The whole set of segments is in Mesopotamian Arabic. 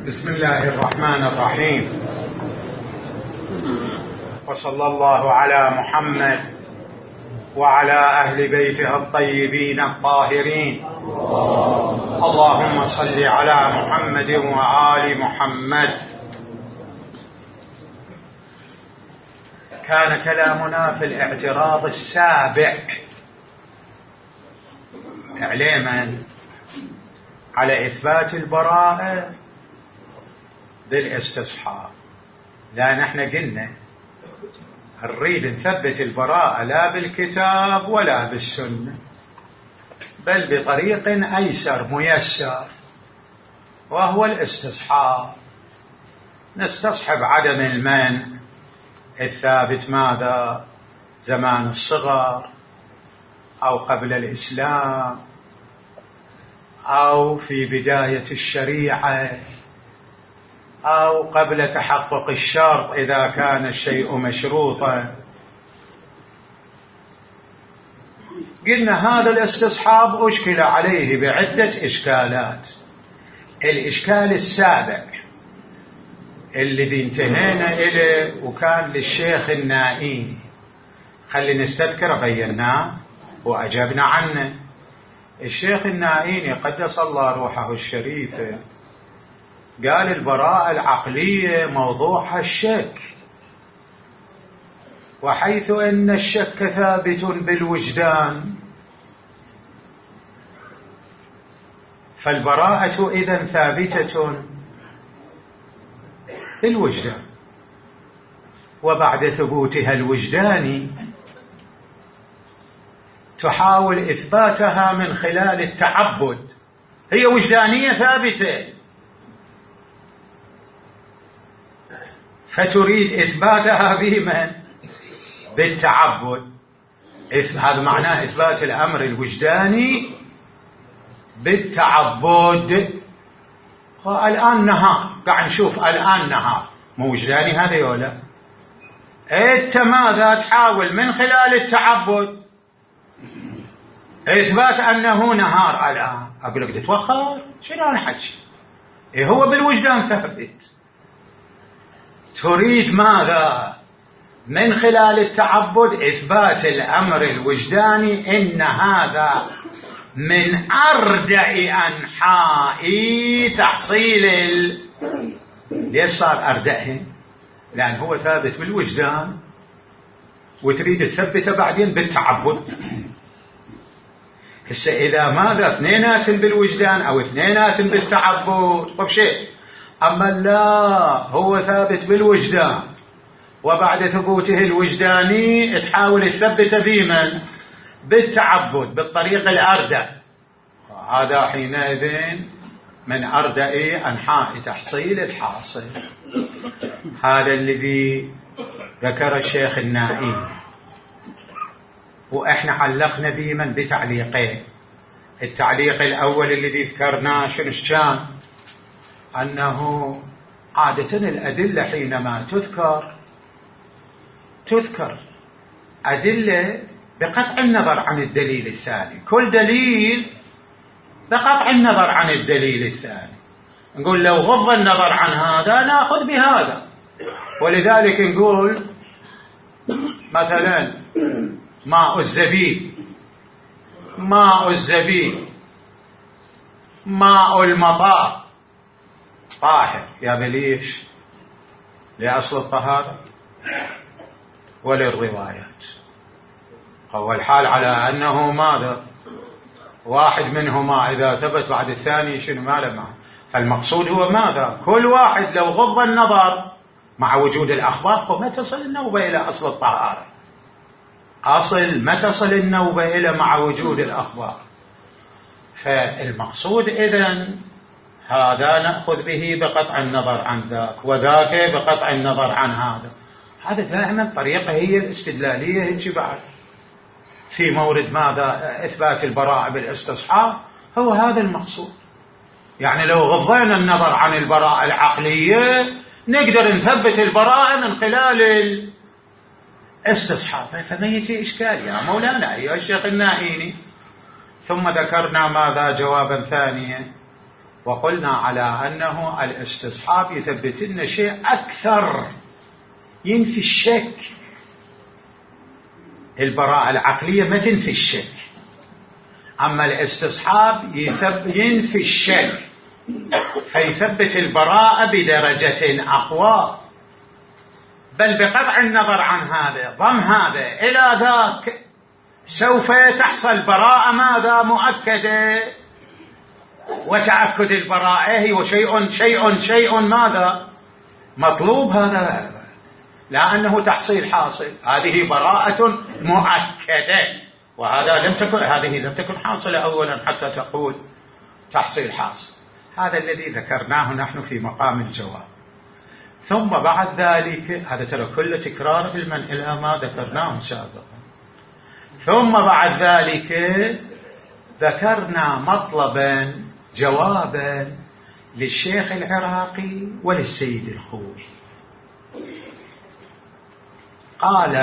بسم الله الرحمن الرحيم، وصلى الله على محمد وعلى أهل بيته الطيبين الطاهرين. اللهم صل على محمد وآل محمد. كان كلامنا في الاعتراض السابع إعلاما على إثبات البراءة بالاستصحاب، لأن احنا قلنا نريد نثبت البراءة لا بالكتاب ولا بالسنة، بل بطريق أيسر ميسر، وهو الاستصحاب. نستصحب عدم المنع الثابت ماذا؟ زمان الصغر، أو قبل الإسلام، أو في بداية الشريعة، أو قبل تحقق الشرط إذا كان الشيء مشروطا. قلنا هذا الاستصحاب أشكل عليه بعدة إشكالات. الإشكال السابع الذي انتهينا إليه وكان للشيخ النائيني، خلي نستذكر بيناه وأجبنا عنه. الشيخ النائيني قدس الله روحه الشريفة قال البراءة العقلية موضوعها الشك، وحيث أن الشك ثابت بالوجدان فالبراءة إذن ثابتة بالوجدان، وبعد ثبوتها الوجداني تحاول إثباتها من خلال التعبد. هي وجدانية ثابتة، فتريد إثباتها بمن؟ بالتعبد. هذا معناه إثبات الأمر الوجداني بالتعبد. الآن نهار، قاعد نشوف الآن نهار، مو وجداني هذا ولا؟ أنت ماذا تحاول من خلال التعبد إثبات أنه نهار الآن؟ أقول لك تتوخر، شنو أنا حكي؟ هو بالوجدان ثابت. تريد ماذا؟ من خلال التعبد إثبات الأمر الوجداني إن هذا من أردع أنحاء تحصيل ليش صار أردعه؟ لأن هو ثابت بالوجدان وتريد تثبته بعدين بالتعبد. هسه إذا ماذا اثنينات بالوجدان أو اثنينات بالتعبد طب شيء، أما لا، هو ثابت بالوجدان وبعد ثبوته الوجداني تحاول تثبته بمن؟ بالتعبد بالطريق الأردع. هذا حينئذ من أردع أنحاء تحصيل الحاصل. هذا الذي ذكر الشيخ النائي، وإحنا علقنا بمن؟ بتعليقين. التعليق الأول الذي ذكرناه شنو كان؟ أنه عادة الأدلة حينما تذكر أدلة بقطع النظر عن الدليل الثاني، كل دليل بقطع النظر عن الدليل الثاني. نقول لو غض النظر عن هذا نأخذ بهذا، ولذلك نقول مثلا ماء الزبيب، ماء المطار طاهر، يا بليش لأصل الطهارة وللروايات. قوى الحال على أنه ماذا؟ واحد منهما إذا ثبت بعد الثاني شنو ما. فالمقصود هو ماذا؟ كل واحد لو غض النظر مع وجود الأخبار فما تصل النوبة إلى أصل الطهارة. ما تصل النوبة إلى مع وجود الأخبار. فالمقصود إذن هذا نأخذ به بقطع النظر عن ذاك، وذاك بقطع النظر عن هذا. هذا دائما طريقة هي الاستدلالية هيك بعد في مورد ماذا؟ إثبات البراءة بالاستصحاب. هو هذا المقصود. يعني لو غضينا النظر عن البراءة العقلية نقدر نثبت البراءة من خلال الاستصحاب. فما يجي إشكال يا مولانا أيها الشيخ النائيني. ثم ذكرنا ماذا؟ جوابا ثانيا وقلنا على أنه الاستصحاب يثبت لنا شيء أكثر، ينفي الشك. البراءة العقلية ما تنفي الشك، أما الاستصحاب ينفي الشك، فيثبت البراءة بدرجة أقوى. بل بقطع النظر عن هذا، ضم هذا إلى ذاك، سوف تحصل براءة ماذا؟ مؤكدة. وتأكد البراءة هو شيء ماذا؟ مطلوب. هذا لأنه تحصيل حاصل، هذه براءة مؤكدة، هذه لم تكن حاصلة أولا حتى تقول تحصيل حاصل. هذا الذي ذكرناه نحن في مقام الجواب. ثم بعد ذلك، هذا ترى كل تكرار علما إلى ما ذكرناه سابقا. ثم بعد ذلك ذكرنا مطلبا جوابا للشيخ العراقي وللسيد الخوئي. قال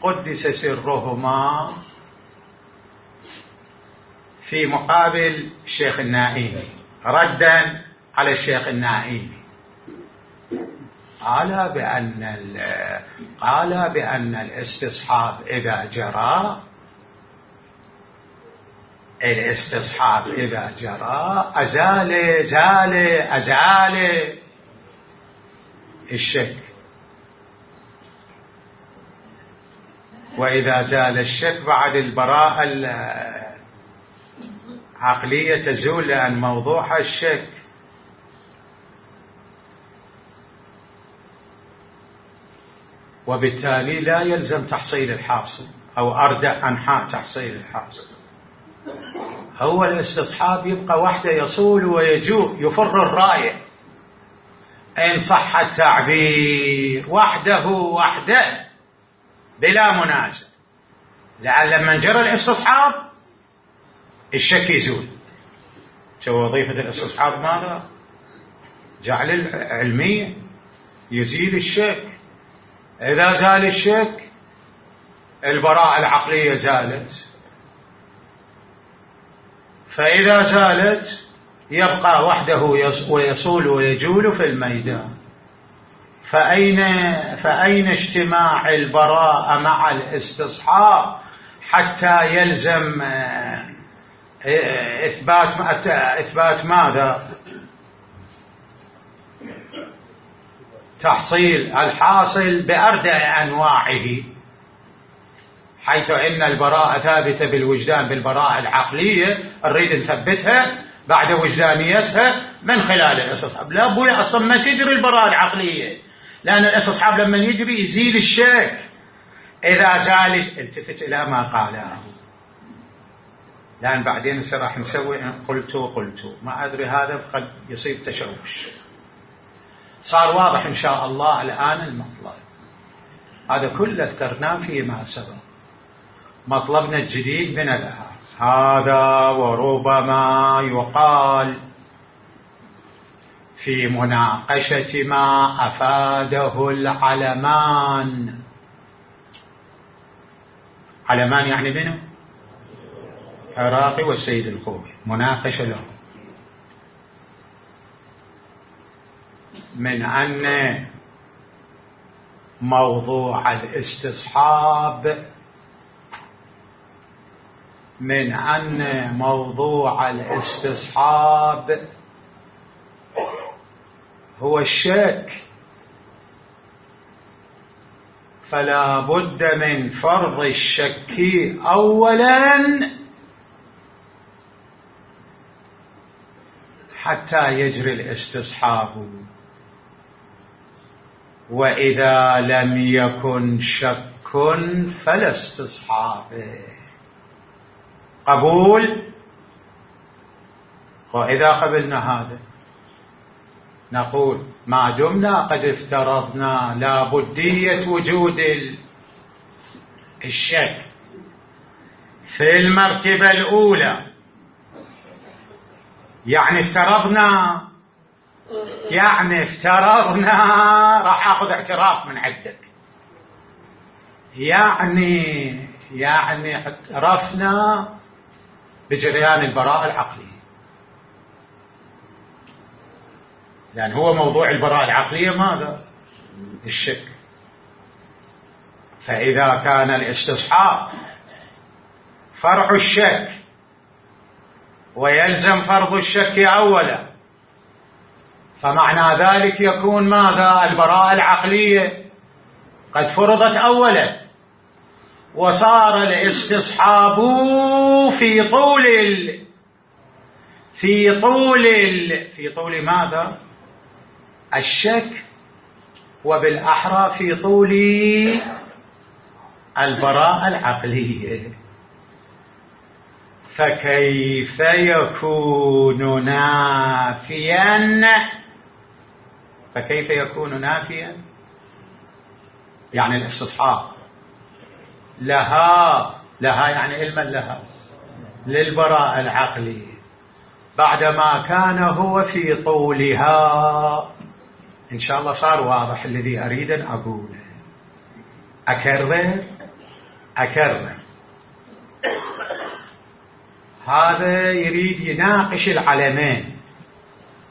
قدس سرهما في مقابل الشيخ النائمي ردا على الشيخ النائمي، قال بأن الاستصحاب إذا جرى، أزال الشك، وإذا زال الشك بعد البراءة العقلية تزول، لأن موضوع الشك وبالتالي لا يلزم تحصيل الحاصل أو أردأ أنحاء تحصيل الحاصل. هو الاستصحاب يبقى وحده، يصول ويجوء، يفر الراية إن صح التعبير، وحده بلا منازع. لأن لما جرى الاستصحاب الشك يزول. شو وظيفة الاستصحاب؟ ماذا؟ جعل العلمية، يزيل الشك. إذا زال الشك البراءة العقلية زالت، فإذا زالت يبقى وحده ويصول ويجول في الميدان. فأين اجتماع البراءة مع الاستصحاب حتى يلزم إثبات ماذا؟ تحصيل الحاصل بأردع أنواعه، حيث إن البراءة ثابتة بالوجدان، بالبراءة العقلية نريد نثبتها بعد وجدانيتها من خلال الاستصحاب. لا بد أصلا ما تجري البراءة العقلية، لأن الاستصحاب لما يجري يزيل الشك. إذا زال، التفت إلى ما قاله، لأن بعدين راح نسوي قلت ما أدري، هذا قد يصير تشوش. صار واضح إن شاء الله الآن المطلب. هذا كله ذكرناه فيما سبق. مطلبنا الجديد من الآن هذا، وربما يقال في مناقشة ما أفاده العلمان. علمان يعني منه؟ عراقي والسيد الخوئي، مناقشة له، من أن موضوع الاستصحاب هو الشك، فلا بد من فرض الشك أولا حتى يجري الاستصحاب. وإذا لم يكن شك فلا استصحاب. قبول؟ وإذا قبلنا هذا نقول ما دمنا قد افترضنا لابدية وجود الشك في المرتبة الأولى، يعني افترضنا راح أخذ اعتراف من عندك، يعني اعترفنا بجريان البراءة العقلية. لأن هو موضوع البراءة العقلية ماذا؟ الشك. فإذا كان الاستصحاب فرع الشك ويلزم فرض الشك أولا، فمعنى ذلك يكون ماذا؟ البراءة العقلية قد فرضت أولا، وصار الاستصحاب في طول ماذا؟ الشك، وبالأحرى في طول البراءة العقلية. فكيف يكون نافيا؟ يعني الاستصحاب لها يعني علما لها للبراءة العقلية بعدما كان هو في طولها. إن شاء الله صار واضح الذي أريد أن أقوله. أكرر هذا يريد يناقش العلمين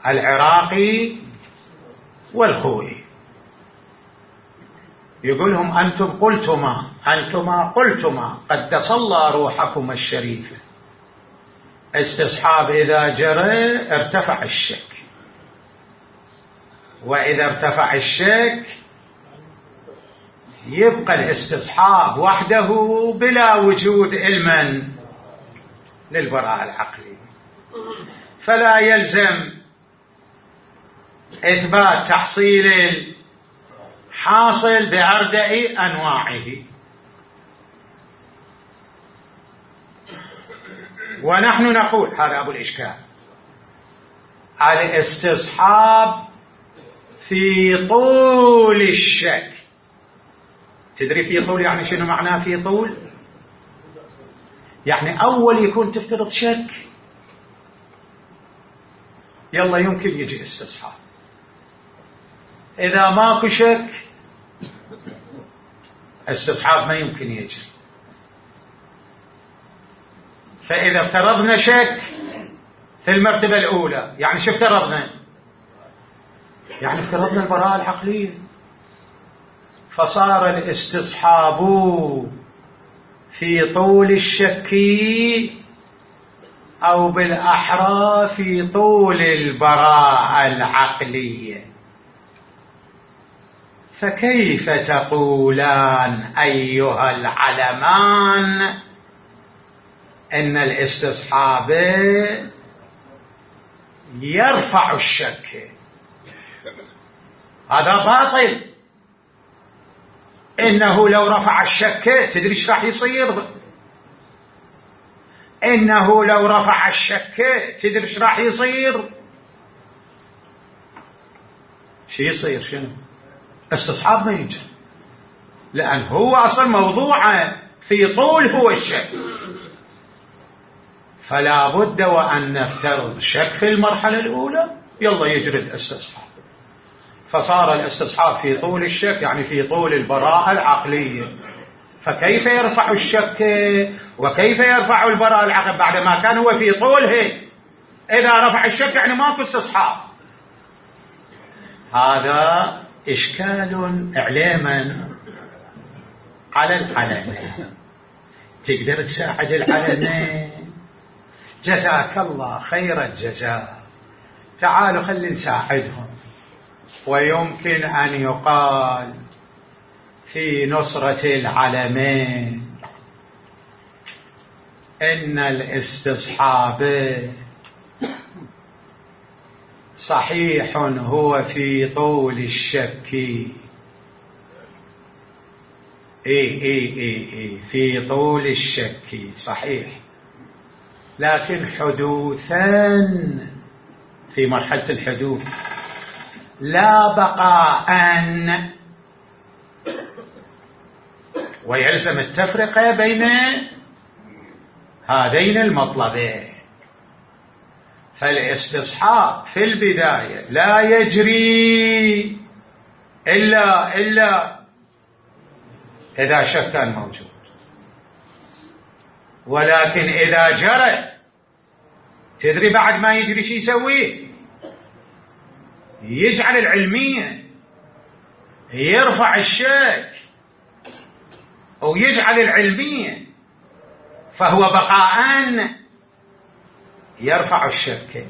العراقي والخوئي، يقولهم أنتم قلتما قدس الله روحكم الشريفة، استصحاب إذا جرى ارتفع الشك، وإذا ارتفع الشك يبقى الاستصحاب وحده بلا وجود علما للبراءة العقلية، فلا يلزم إثبات تحصيل الحاصل بأردأ أنواعه. ونحن نقول هذا أبو الإشكال، الاستصحاب في طول الشك. تدري في طول يعني شنو معناه في طول؟ يعني أول يكون تفترض شك، يلا يمكن يجي استصحاب. إذا ماكو شك استصحاب ما يمكن يجي. فإذا افترضنا شك في المرتبة الأولى، يعني شو افترضنا؟ يعني افترضنا البراءة العقلية، فصار الاستصحاب في طول الشك أو بالأحرى في طول البراءة العقلية. فكيف تقولان أيها العلمان إن الاستصحاب يرفع الشك؟ هذا باطل. إنه لو رفع الشك تدري ايش راح يصير؟ إنه لو رفع الشك تدري ايش راح يصير؟ شو يصير؟ شنو؟ استصحاب ما يجي، لأن هو أصلا موضوعه في طول هو الشك، فلا بد وأن نفترض شك في المرحلة الأولى، يلا يجري الاستصحاب. فصار الاستصحاب في طول الشك يعني في طول البراءة العقلية. فكيف يرفع الشك وكيف يرفع البراءة العقلية بعدما كان هو في طوله؟ إذا رفع الشك يعني ماكو استصحاب. هذا إشكال إعلاما على العلمين. تقدر تساعد العلمين؟ جزاك الله خير الجزاء، تعالوا خلي نساعدهم. ويمكن أن يقال في نصرة العلمين إن الاستصحاب صحيح هو في طول الشك، في طول الشك صحيح، لكن حدوثا في مرحلة الحدوث لا بقاء، ويلزم التفرقة بين هذين المطلبين. فالاستصحاب في البداية لا يجري إلا إذا شك كان موجود، ولكن إذا جرى تدري بعد ما يجري شي يسويه؟ يجعل العلمية، يرفع الشك ويجعل العلمية، فهو بقاءً يرفع الشك،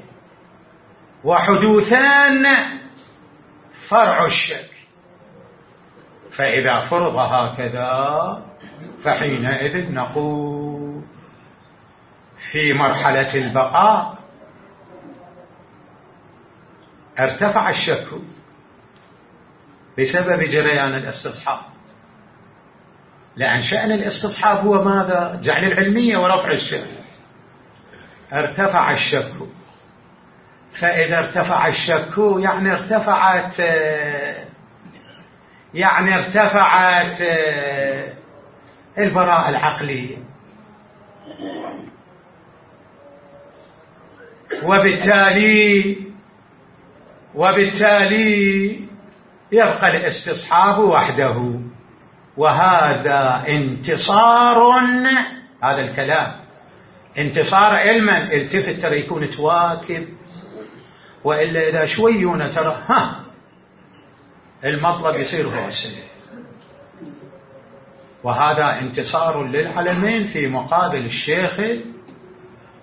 وحدوثان فرع الشك. فإذا فرض هكذا فحينئذ نقول في مرحلة البقاء ارتفع الشك بسبب جريان الاستصحاب، لأن شأن الاستصحاب هو ماذا؟ جعل العلمية ورفع الشك. ارتفع الشك، فإذا ارتفع الشك يعني ارتفعت البراءة العقلية، وبالتالي يبقى الاستصحاب وحده، وهذا انتصار. هذا الكلام انتصار علما. التفت ترى يكون تواكب، وإلا إذا شويون ترى المطلب يصير هو السليم. وهذا انتصار للعلمين في مقابل الشيخ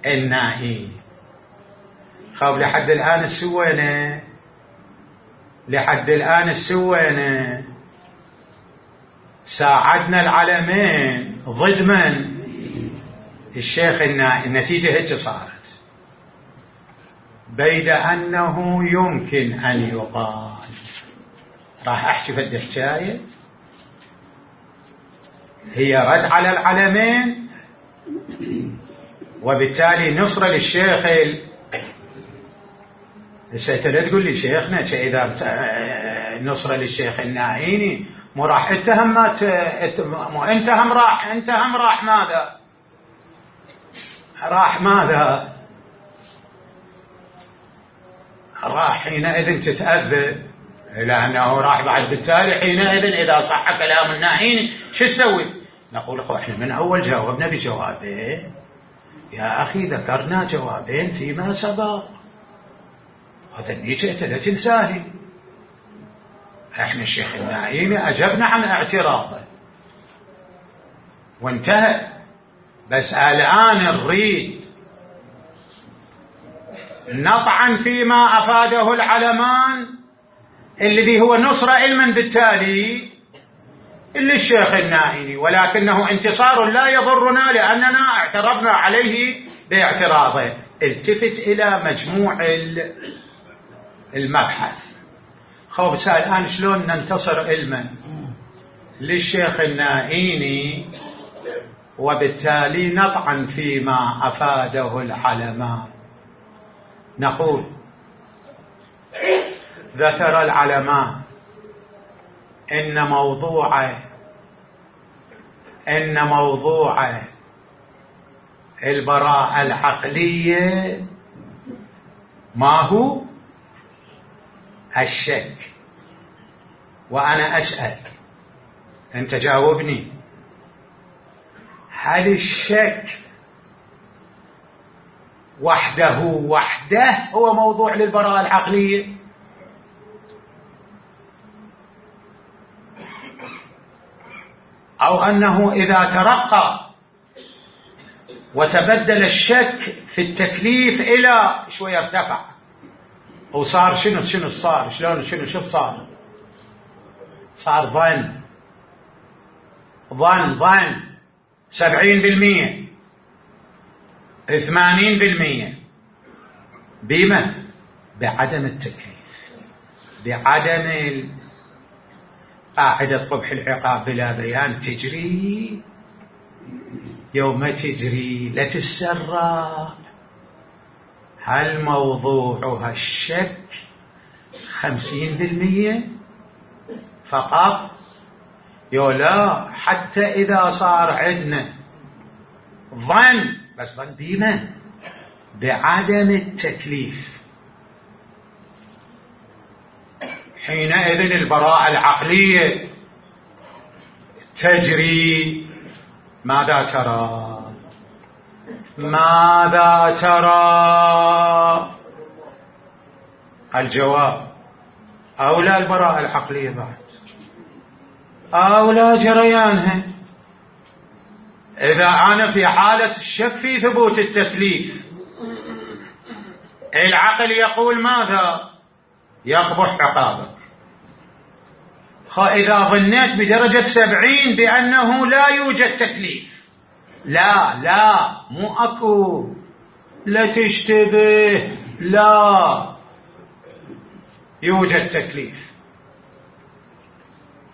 النائي. خاب لحد الآن السوينة، لحد الآن السوينة ساعدنا العلمين ضد من؟ الشيخ النائي. النتيجة هيك صارت، بيد أنه يمكن أن يقال. راح أحكي في حكاية هي رد على العلمين، وبالتالي نصرة للشيخ. هسه لا تقول لي شيخنا إذا نصرة للشيخ النائيني مو راح اتهم مو انت هم راح ماذا؟ راح ماذا؟ راح حينئذ تتأذى، لأنه راح بعد. بالتالي حينئذ إذا صح كلام النائيني شو تسوي؟ نقول احنا من أول جاوبنا بجوابين يا أخي، ذكرنا جوابين فيما سبق، هذا اللي جئت لا تنساه. احنا الشيخ النائيني أجبنا عن اعتراضه وانتهى، بس الآن نريد نطعن فيما أفاده العلمان الذي هو نصر علما بالتالي للشيخ النائيني، ولكنه انتصار لا يضرنا لأننا اعترضنا عليه باعتراضه. التفت إلى مجموع المبحث. بس الآن شلون ننتصر علما للشيخ النائيني وبالتالي نطعن فيما أفاده العلمان؟ نقول ذكر العلمان إن موضوع البراءة العقلية ما هو؟ الشك. وأنا أسأل، أنت جاوبني، هل الشك وحده هو موضوع للبراءة العقلية؟ أو أنه إذا ترقى وتبدل الشك في التكليف إلى شوية ارتفع وصار شنو صار؟ شو صار؟ صار ظن 70%، 80%. بما بعدم التكليف، بعدم قاعدة قبح العقاب بلا بيان تجري يوم تجري لا تتسرع. هل موضوعها الشك 50% فقط؟ لا، حتى إذا صار عندنا ظن، بس ظن بما بعدم التكليف، حينئذ البراءة العقلية تجري. ماذا ترى؟ الجواب أو لا البراءة العقلية بعد، أو لا جريانها. إذا أنا في حالة الشك في ثبوت التكليف، العقل يقول ماذا؟ يقبح عقابك. إذا ظنيت بدرجة 70 بأنه لا يوجد تكليف، لا مو أكو، لا تشتبه، لا يوجد تكليف.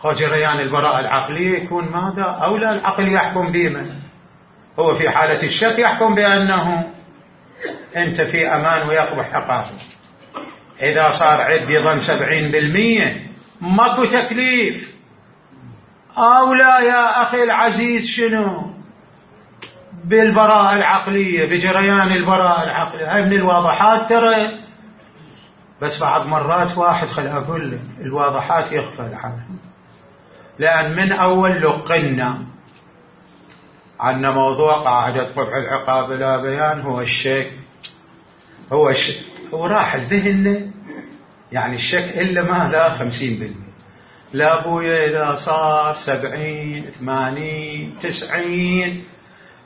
جريان البراءة العقلية يكون ماذا؟ أو لا العقل يحكم بما هو في حالة الشك، يحكم بأنه أنت في أمان ويقبح عقابك. إذا صار عندي ظن 70% ماكو تكليف، أو لا يا أخي العزيز شنو؟ بالبراءة العقلية، بجريان البراءة العقلية. هاي من الواضحات ترى، بس بعض مرات واحد خل أقول لك الواضحات يغفل عنها، لأن من أول لقنا عنا موضوع قاعدة قبح العقاب لا بيان هو الشك، هو راح الذهن، يعني الشك إلا ما لا 50%. لا بويا إذا صار 70 80 90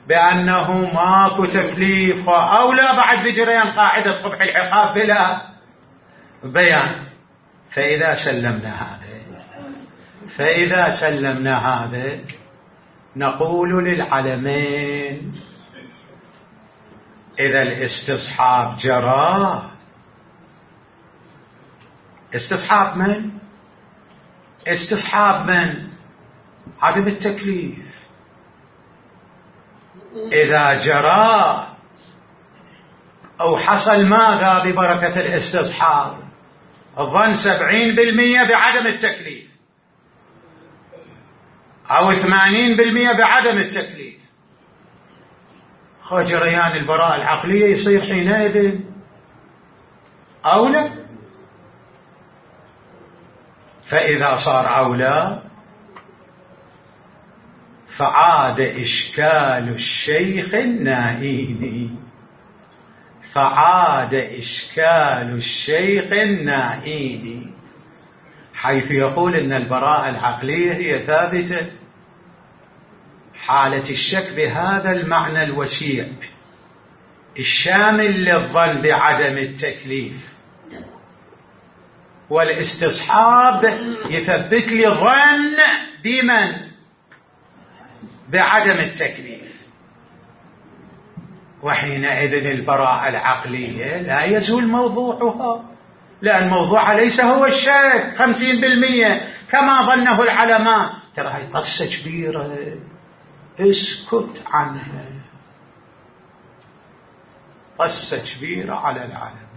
بأنه ماكو تكليف، أو لا بعد بجريان قاعدة قبح العقاب بلا بيان. فإذا سلمنا هذا نقول للعلمين إذا الاستصحاب جرى، استصحاب من عدم التكليف. إذا جرى أو حصل ماذا ببركة الاستصحاب؟ الظن 70% بعدم التكليف، أو 80% بعدم التكليف. جريان البراءة العقلية يصير حينئذ أولى. فإذا صار أولى فعاد إشكال الشيخ النائيني، حيث يقول إن البراءة العقلية هي ثابتة حالة الشك بهذا المعنى الوسيع الشامل للظن بعدم التكليف، والاستصحاب يثبت لي ظن بمن؟ بعدم التكليف. وحينئذ البراءة العقلية لا يزول موضوعها، لأن موضوعها ليس هو الشك 50% كما ظنه العلماء. ترى هاي قصة كبيرة، اسكت عنها، قصة كبيرة على العالم.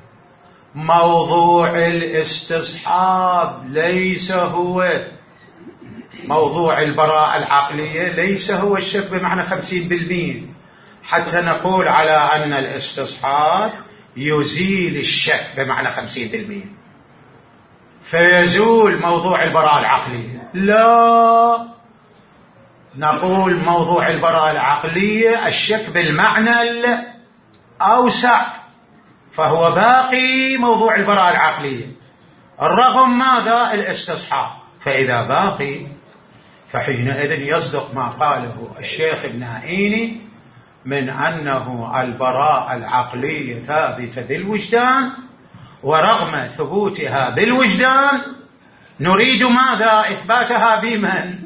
موضوع الاستصحاب ليس هو موضوع البراءة العقلية، ليس هو الشك بمعنى 50%، حتى نقول على أن الاستصحاب يزيل الشك بمعنى 50% فيزول موضوع البراءة العقلية. لا، نقول موضوع البراءة العقلية الشك بالمعنى الأوسع، فهو باقي موضوع البراءة العقلية الرغم ماذا؟ الاستصحاب. فإذا باقي فحينئذ يصدق ما قاله الشيخ النائيني من أنه البراءة العقلية ثابتة بالوجدان، ورغم ثبوتها بالوجدان نريد ماذا؟ إثباتها بمن؟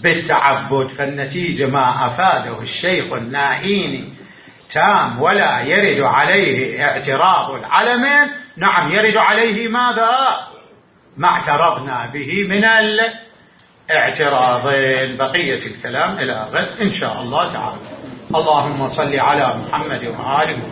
بالتعبد. فالنتيجة ما أفاده الشيخ النائيني تام، ولا يرد عليه اعتراض العلمين. نعم يرد عليه ماذا؟ ما اعترضنا به من الاعتراضين. بقية الكلام إلى غد إن شاء الله تعالى. اللهم صل على محمد وآله.